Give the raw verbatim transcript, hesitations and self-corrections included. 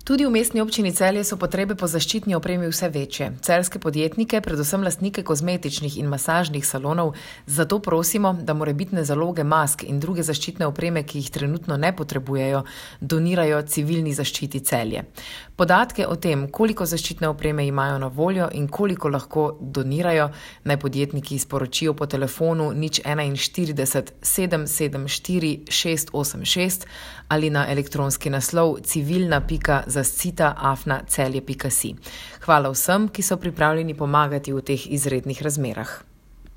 Tudi v mestni občini Celje so potrebe po zaščitni opremi vse večje. Celjske podjetnike, predvsem lastnike kozmetičnih in masažnih salonov, zato prosimo, da morebitne zaloge mask in druge zaščitne opreme, ki jih trenutno ne potrebujejo, donirajo civilni zaščiti Celje. Podatke o tem, koliko zaščitne opreme imajo na voljo in koliko lahko donirajo, naj podjetniki sporočijo po telefonu nič enainštirideset sedem sedem štiri šest osem šest ali na elektronski naslov civilna pika zascita afna celje pika si. Hvala vsem, ki so pripravljeni pomagati v teh izrednih razmerah.